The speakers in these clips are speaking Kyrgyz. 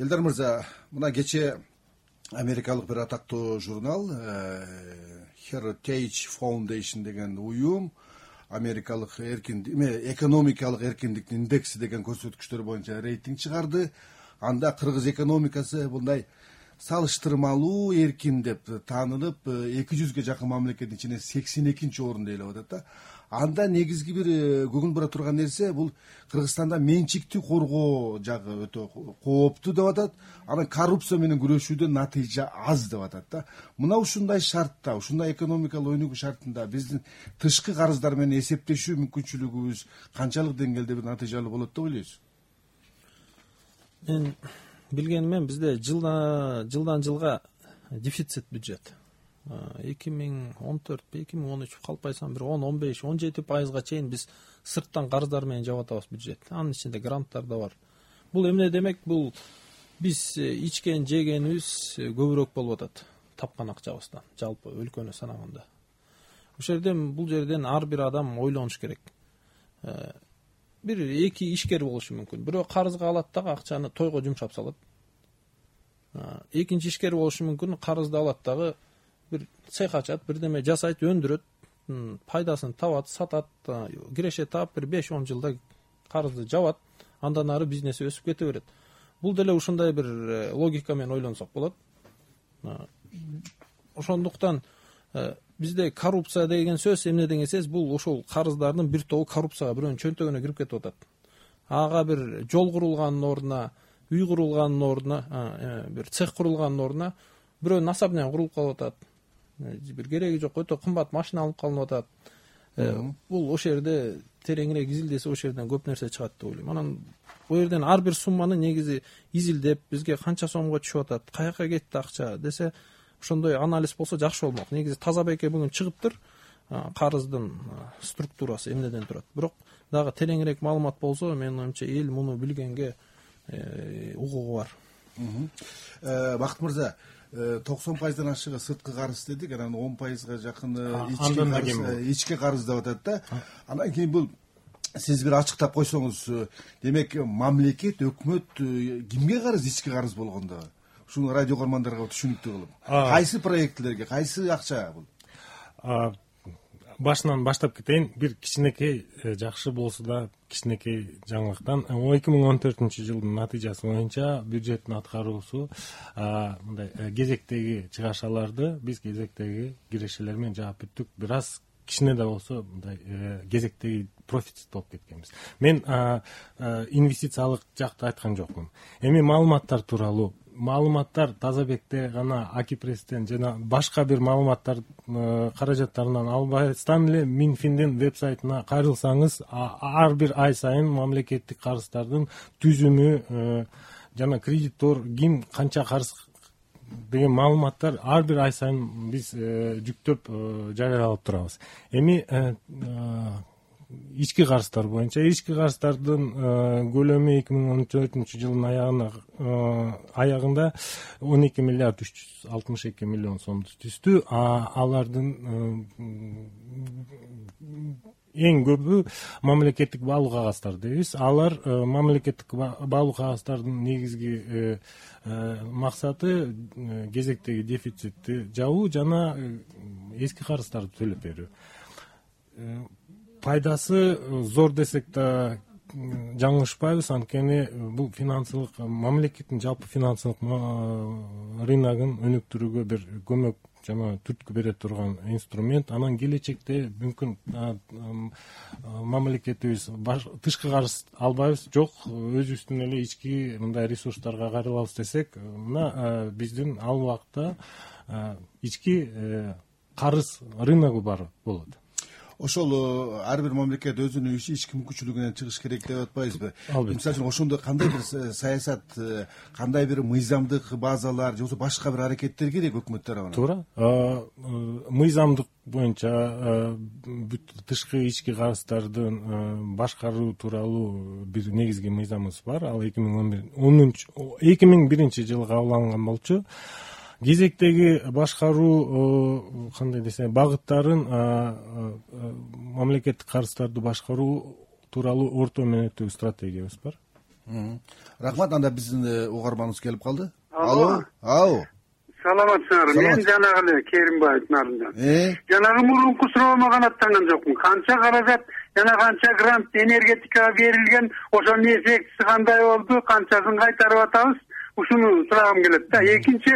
Элдар мырза, мына кече америкалык бир атактуу журнал Heritage Foundation деген уюм америкалык экономикалык эркиндиктин индекси деген көрсөткүчтөр боюнча рейтинг чыгарды. Анда кыргыз экономикасы мындай салыштырмалуу эркин деп таанылып 200ге жакын мамлекеттин ичинен 82-нчи орунда ээлеп атат да. Анда негизги бир көңүл бура турган нерсе бул Кыргызстанда менчикти коргоо жагы өтө кооптуу деп атат. Анан коррупция менен күрөшүүдө натыйжа аз деп атат да. Мына ушундай шартта, ушундай экономикалык өнүгүү шартында биздин тышкы карыздар менен эсептешүү мүмкүнчүлүгүбүз канчалык деңгээлде бир натыйжалуу болот деп ойлойсуз? Мен билгенимен бизде жылдан жылга дефицит бюджет 2014-2013 калпайсам бир 10-15-17% чейин биз сырттан карыздар менен жаап атабыз бюджет. Анын ичинде гранттар да бар. Бул эмне демек? Бул биз ичкен жегенибиз көбүрөөк болуп атат тапкан акчабыздан, жалпы өлкөнү санаганда. Бул жерден ар бир адам ойлонуш керек. Бир эки ишкер болушу мүмкүн. Бирөө карызга алат дагы акчаны тойго жумшап салат. Экинчи ишкер болушу мүмкүн, карызды алат дагы бир цех ачат, бирдеме жасайт, өндүрөт, пайдасын табат, сатат, киреше таап бир 5-10 жылда карызды жабат, андан ары бизнеси өсүп кете берет. Бул деле ушундай бир логика менен ойлонсок болот. Ошондуктан бизде коррупция деген сөз эмне деген сөз? Бул ошол карыздардын бир тобу коррупцияга бирөөнүн чөнтөгүнө кирип кетип атат. Ага бир жол курулганын ордуна, үй курулганын ордуна, бир цех курулганын ордуна бирөөнүн особнягы курулуп калып атат. Бир кереги жок өтө кымбат машина алып калынып атат. Бул ошол жерде тереңирээк изилдесе ошол жерден көп нерсе чыгат деп ойлойм. Анан бул жерден ар бир сумманы негизи изилдеп, бизге канча сомго түшүп атат, каяка кетти акча десе, ошондой анализ болсо жакшы болмок. Негизи таза беке бүгүн чыгыптыр, карыздын структурасы эмнеден турат. Бирок дагы тереңирээк маалымат болсо, менин оюмча эл муну билгенге укугу бар. Бакыт мырза, 90%дан ашыгы сырткы карыз дедик, анан 10%га жакыны ички карыз деп атат да. Анан кийин бул сиз бир ачыктап койсоңуз, демек мамлекет, өкмөт кимге карыз, ички карыз болгондо? Ушуну радио көрмандарга түшүнүктүү кылып. Кайсы проектлерге, кайсы акча бул? Башынан баштап кетейин. Бир кичинекей жакшы болсо да кичинекей жаңылыктан 2014-жылдын натыйжасы боюнча бюджеттин аткаруусу мындай кезектеги чыгашаларды биз кезектеги кирешелер менен жаап бүттүк. Бир аз кичине да болсо мындай кезектеги профицит болуп кеткенбиз. Мен инвестициялык жакты айткан жокмун. Эми маалыматтар тууралуу Тазабекте гана Акипресстен жана башка бир маалыматтар каражаттарынан албастан эле Минфиндин вебсайтына кайрылсаңыз, ар бир ай сайын мамлекеттик карыздардын түзүмү жана кредитор ким канча карыз деген маалыматтар ар бир ай сайын биз жүктөп жарыялап турабыз. Эми ички карыздар боюнча карыздардын көлөмү 2014-жылдын аягында 12 миллиард 362 миллион сомду түздү. Алардын эң көбү мамлекеттик баалуу кагаздар дейбиз. Алар мамлекеттик баалуу кагаздардын негизги максаты кезектеги дефицитти жабуу жана эски карыздарды төлөп берүү. Пайдасы зор десек да жаңылышпайбыз, анткени бул финансылык мамлекеттин жалпы финансылык рыногун өнүктүрүүгө бир көмөк жана түрткү бере турган инструмент. Анан келечекте мүмкүн мамлекетибиз тышкы карыз албайбыз, жок өзүбүздүн эле ички мындай ресурстарга кайрылабыз десек, мына биздин ал убакта ички карыз рыногу бар болот. Ошол ар бир мамлекет өзүнүн ички мүмкүнчүлүгүнөн чыгыш керек деп атпайбызбы? Мисалы үчүн ошондо кандай бир саясат, кандай бир мыйзамдык базалар же болбосо башка бир аракеттер керек өкмөт тарабынан? Туура. Мыйзамдык боюнча бүт тышкы ички карыздардын башкаруу тууралуу бир негизги мыйзамыбыз бар. Ал 2001-жылы кабыл алынган болчу. Кезектеги башкаруу кандай десе багыттарын мамлекеттик карыздарды башкаруу тууралуу орто мөөнөттөгү стратегиябыз бар. Рахмат. Анда биздин угарманыбыз келип калды. Алло. Саламатсыңарбы? Мен жанагы эле Керимбаевдин алдынан. Жанагы мурунку суроомо канаттанган жокмун. Канча каражат жана канча грант энергетикага берилген, ошонун эффектиси кандай болду, канчасын кайтарып атабыз? Ушуну сурагым келет да. Экинчи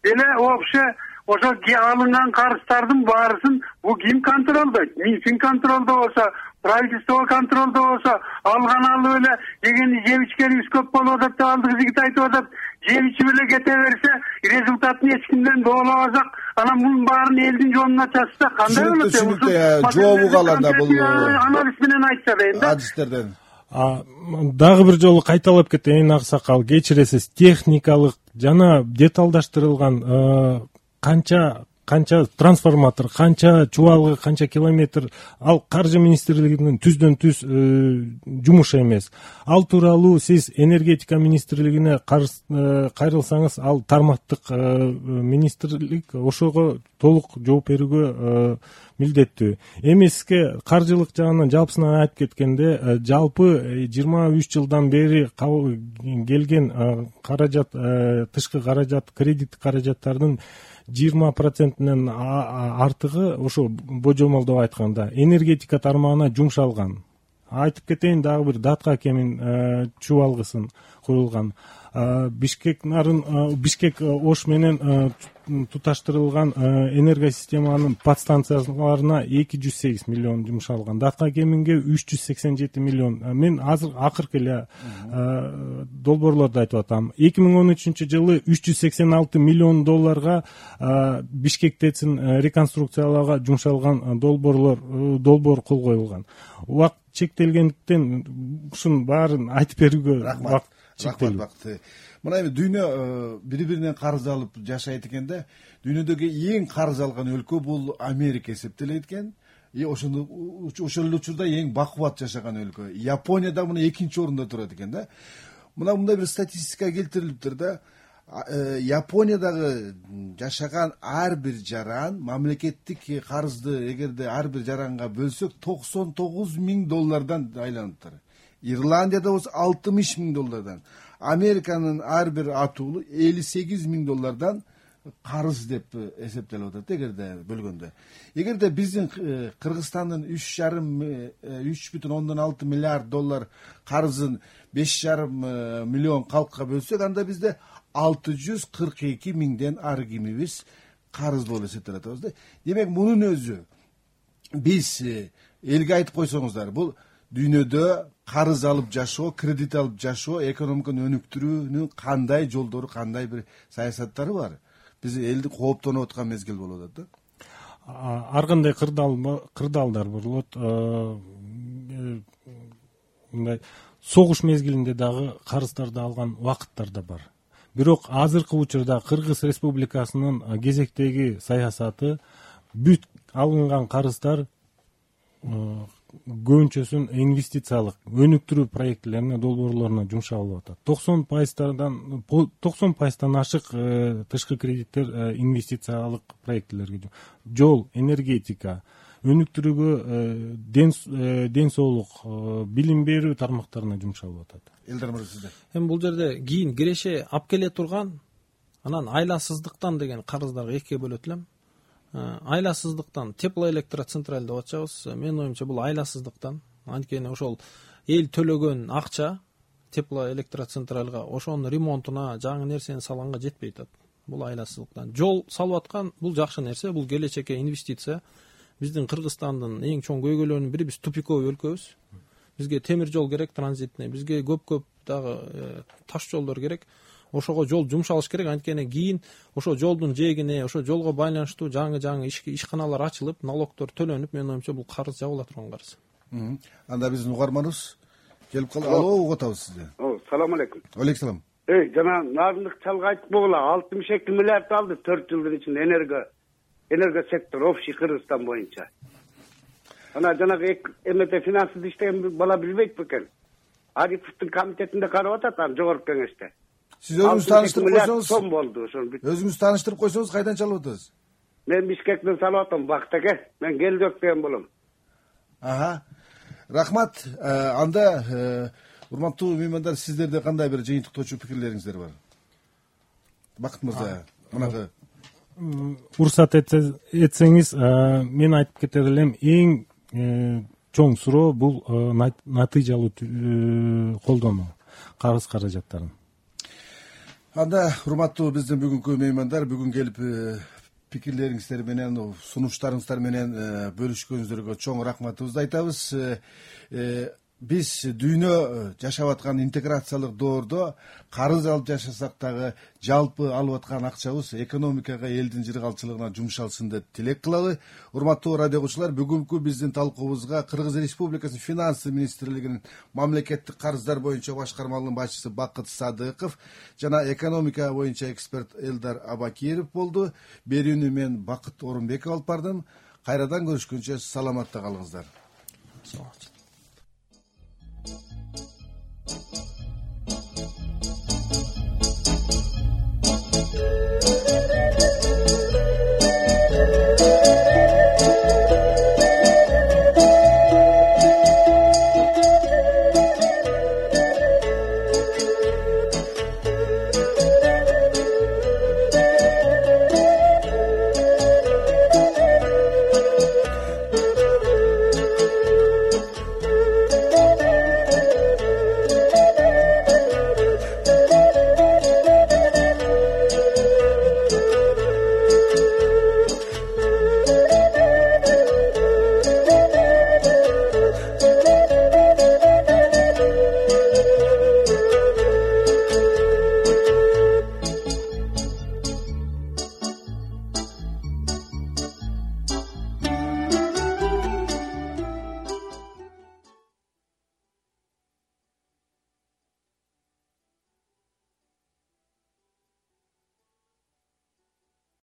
деле вообще ошо алынган карыздардын баарысын бул ким контролдойт? Минфин контролдобосо, правительство контролдобосо, алган алып эле дегенди жеп ичкенибиз көп болуп атат деп алдыгы жигит айтып атат. Жеп ичип эле кете берсе, результатын эч кимден доолабасак, анан мунун баарын элдин жонуна чачса кандай болот? Түшүнүктүү. Жообу калганда бул анализ менен айтса дейм да. Адистерден. Дагы бир жолу кайталап кетейин Аксакал, кечиресиз. Техникалык жана деталдаштырылган канча трансформатор, канча чубалгы, канча километр, ал каржы министрлигинин түздөн түз жумушу эмес. Ал тууралуу сиз энергетика министрлигине кайрылсаңыз, ал тармактык министрлик ошого толук жооп берүүгө милдеттүү. Эми сизге каржылык жагынан жалпысынан айтып кеткенде, жалпы 23 жылдан бери келген каражат, тышкы каражат, кредит каражаттардын 20%-нен артыгы ошо божомолдоп айтканда энергетика тармагына жумшалган. Айтып кетейин, дагы бир датка кемин чубалгысын курулган. Бишкек Ош менен туташтырылган энергосистеманын подстанцияларына 208 миллион жумшалган. Датка кеминге 387 миллион. Мен азыр акыркы эле долбоорлорду айтып атам. 2013-жылы 386 миллион долларга Бишкек ТЭЦин реконструкциялоого жумшалган долбоор кол коюлган. Убакыт чектелгендиктен ушунун баарын айтып берүүгө убакыт чектелүү. Мына эми дүйнө бири-биринен карыз алып жашайт экен да. Дүйнөдөгү эң карыз алган өлкө бул Америка эсептелет экен. Ошол учурда эң бакубат жашаган өлкө. Япония да мына экинчи орунда турат экен да. Мына мындай бир статистика келтирилиптир да. Япониядагы жашаган ар бир жаран мамлекеттик карызды эгерде ар бир жаранга бөлсөк $99,000 айланыптыр. Ирландияда болсо $60,000. Американын ар бир атуулу $58,000 карыз деп эсептелип атат эгерде бөлгөндө. Эгерде биздин Кыргызстандын 3,6 миллиард доллар карызын 5,5 миллион калкка бөлсөк, анда бизде 642 миңден ары кимибиз карыз болуп эсептелип атабыз да. Демек мунун өзү биз элге айтып койсоңуздар, бул дүйнөдө карыз алып жашоо, кредит алып жашоо, экономиканы өнүктүрүүнүн кандай жолдору, кандай бир саясаттары бар? Биз элди кооптонуп аткан мезгил болуп атат да. Ар кандай кырдаалдар болот. Мындай согуш мезгилинде дагы карыздарды алган убакыттар да бар. Бирок азыркы учурда Кыргыз Республикасынын кезектеги саясаты бүт алынган карыздар көбүнчөсүн инвестициялык өнүктүрүү проектлерине, долбоорлоруна жумшалып атат. 90% ашык тышкы кредиттер инвестициялык проектлерге, жол, энергетика, өнүктүрүүгө, ден соолук, билим берүү тармактарына жумшалып атат. Элдар мырза, сизде. Эми бул жерде кийин киреше алып келе турган, анан айласыздыктан деген карыздарга экиге бөлөт элем. Айласыздыктан теплоэлектроцентраль деп атчабыз. Менин оюмча бул айласыздыктан. Анткени ошол эл төлөгөн акча теплоэлектроцентральга ошонун ремонтуна, жаңы нерсени салганга жетпей атат. Бул айласыздыктан. Жол салып аткан бул жакшы нерсе, бул келечекке инвестиция. Биздин Кыргызстандын эң чоң көйгөйлөрүнүн бири, биз тупиковый өлкөбүз. Бизге темир жол керек, транзитный. Бизге көп дагы таш жолдор керек. Ошого жол жумшалыш керек. Анткени кийин ошо жолдун жээгине, ошо жолго байланыштуу жаңы ишканалар ачылып, налогдор төлөнүп, менин оюмча бул карыз жабыла турган карыз. Анда биздин угарманыбыз келип калды. Алло, угуп атабыз сизди. Салам алейкум. Алейкум салам. Жана Назымбек Чалга айтып болгула, 62 миллиард алды 4 жылдын ичинде энергосектор общий Кыргызстан боюнча. Ана жанагы МТ финансты иштеген бала билбейт бекен. Ариповдун комитетинде карап атат, аны жогорку кеңеште. Сиз өзүңүз тааныштырып койсоңуз, сом болду ошол. Өзүңүз тааныштырып койсоңуз, кайдан чалып атасыз? Мен Бишкектен салып атам, Бактаке. Мен Келжок деген болом. Рахмат. Анда урматтуу меймандар, сиздерде кандай бир жыйынтыктоочу пикирлериңиздер бар? Бакыт мырза, мынакы уруксат этсеңиз, мен айтып кетер элем, эң чоң суроо бул натыйжалуу колдонуу карыз каражаттарын. Анда урматтуу биздин бүгүнкү меймандар, бүгүн келип пикирлериңиздер менен, сунуштарыңыздар менен бөлүшкөнүңүздөргө чоң рахматыбызды айтабыз. Биз дүйнө жашап аткан интеграциялык доордо карыз алып жашасак дагы жалпы алып аткан акчабыз экономикага, элдин жыргалчылыгына жумшалсын деп тилек кылалы. Урматтуу радио угуучулар, бүгүнкү биздин талкуубузга Кыргыз Республикасынын финанс министрлигинин мамлекеттик карыздар боюнча башкармалыгынын башчысы Бакыт Садыков жана экономика боюнча эксперт Элдар Абакиров болду. Берүүнү мен Бакыт Орунбеков алып бардым. Кайрадан көрүшкөнчө саламатта калыңыздар.